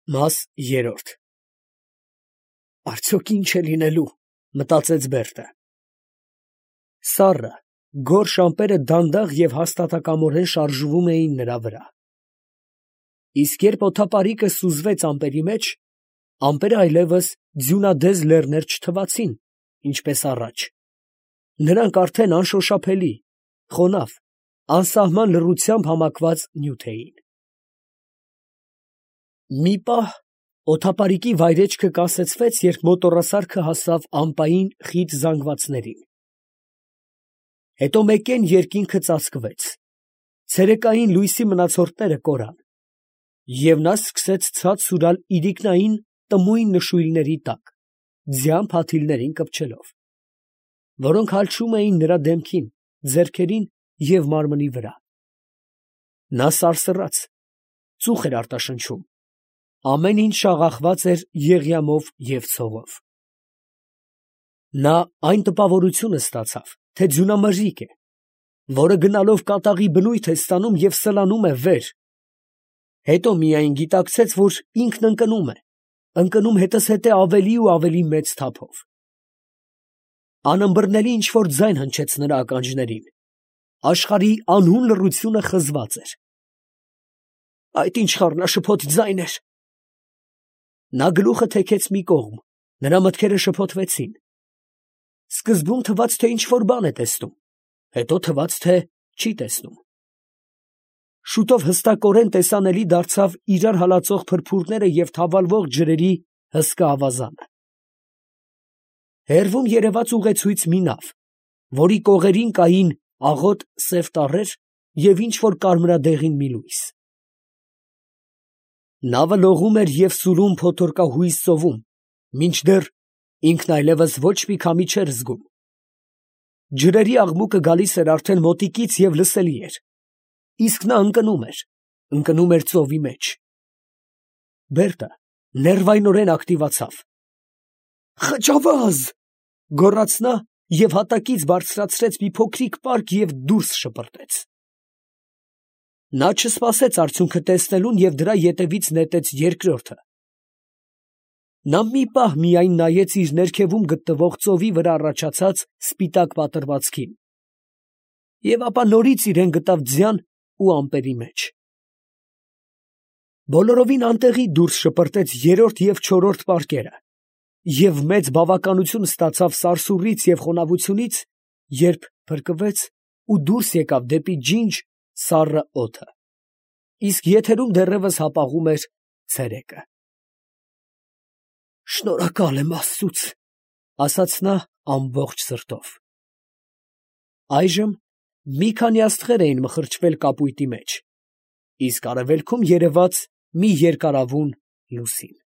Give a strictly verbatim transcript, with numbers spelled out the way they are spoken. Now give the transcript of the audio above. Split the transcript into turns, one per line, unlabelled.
Մաս երրորդ Արդյոք ինչ է լինելու, մտածեց Բերտը։ Սառը, գորշ ամպերը դանդաղ և հաստատակամորեն շարժվում էին նրա վրա։ Իսկ երբ օդապարիկը սուզվեց ամպերի մեջ, ամպերը այլևս ձյունադեզ լեռներ չթվացին, ինչպես առաջ. նրանք արդեն անշոշափելի, խոնավ, անսահման լռությամբ համակված նյութ էին։ Մի պահ օդապարիկի վայրէջքը կասեցվեց, երբ մոտոռասարքը հասավ ամպային խիտ զանգվածներին։ Հետո մեկեն երկինքը ծածկվեց, ցերեկային լույսի մնացորդները կորան, և նա սկսեց ցած սուրալ իրիկնային տմույն նշույլների տակ, ձյան փաթիլներին կպչելով, որոնք հալչում էին նրա դեմքին, ձեռքերին և մարմնի վրա։ Նա սարսռաց, ծուխ էր արտաշնչում, ամեն ինչ շաղախված էր եղյամով և ցողով։ Նա այն տպավորությունը ստացավ, թե ձյունամրրիկ է, որը գնալով կատաղի բնույթ է ստանում և սլանում է վեր, հետո միայն գիտակցեց, որ ինքն ընկնում է, ընկնում հետզհետե ավելի ու ավելի մեծ թափով։ Անըմբռնելի ինչ֊որ ձայն հնչեց նրա ականջներին, աշխարհի անհուն լռությունը խզված էր։ Այդ ի՞նչ խառնաշփոթ ձայն էր։ Նա գլուխը թեքեց մի կողմ, նրա մտքերը շփոթվեցին. սկզբում թվաց, թե ինչ֊որ բան է տեսնում, հետո թվաց, թե չի տեսնում։ Շուտով հստակորեն տեսանելի դարձավ իրար հալածող փրփուրները և թավալվող ջրերի հսկա ավազանը։ Հեռվում երևաց ուղեցույց մի նավ, որի կողերին կային աղոտ սև տառեր և ինչ֊որ կարմրադեղին մի լույս։ Նավը լողում էր և սուրում փոթորկահույզ ծովում, մինչդեռ ինքն այլևս ոչ մի քամի չէր զգում։ Ջրերի աղմուկը գալիս էր արդեն մոտիկից և լսելի էր, իսկ նա ընկնում էր, ընկնում էր ծովի մեջ։ Բերտը ներվայնորեն ակտիվացավ։ «Խճավազ!» գոռաց նա և հատակից բարձրացրեց մի փոքրիկ պարկ և դուրս շպրտեց։ Նա չսպասեց արդյունքը տեսնելուն և դրա ետևից նետեց երկրորդը։ Նա մի պահ միայն նայեց իր ներքևում գտնվող ծովի վրա առաջացած սպիտակ պատրվացքին, և ապա նորից իրան գտավ ձյան ու ամպերի մեջ։ Բոլորովին անտեղի դուրս շպրտեց երրորդ և չորրորդ պարկերը և մեծ բավականություն ստացավ սարսուռից և խոնավությունից, երբ փրկվեց ու դուրս եկավ դեպի ջինջ սառը օդը, իսկ եթերում դեռևս հապաղում էր ցերեկը։ «Շնորհակալ եմ աստծուց», ֊ ասաց նա ամբողջ սրտով։ Այժմ մի քանի աստղեր էին մխրճվել կապույտի մեջ, իսկ արևելքում երևաց մի երկարավուն լուսին։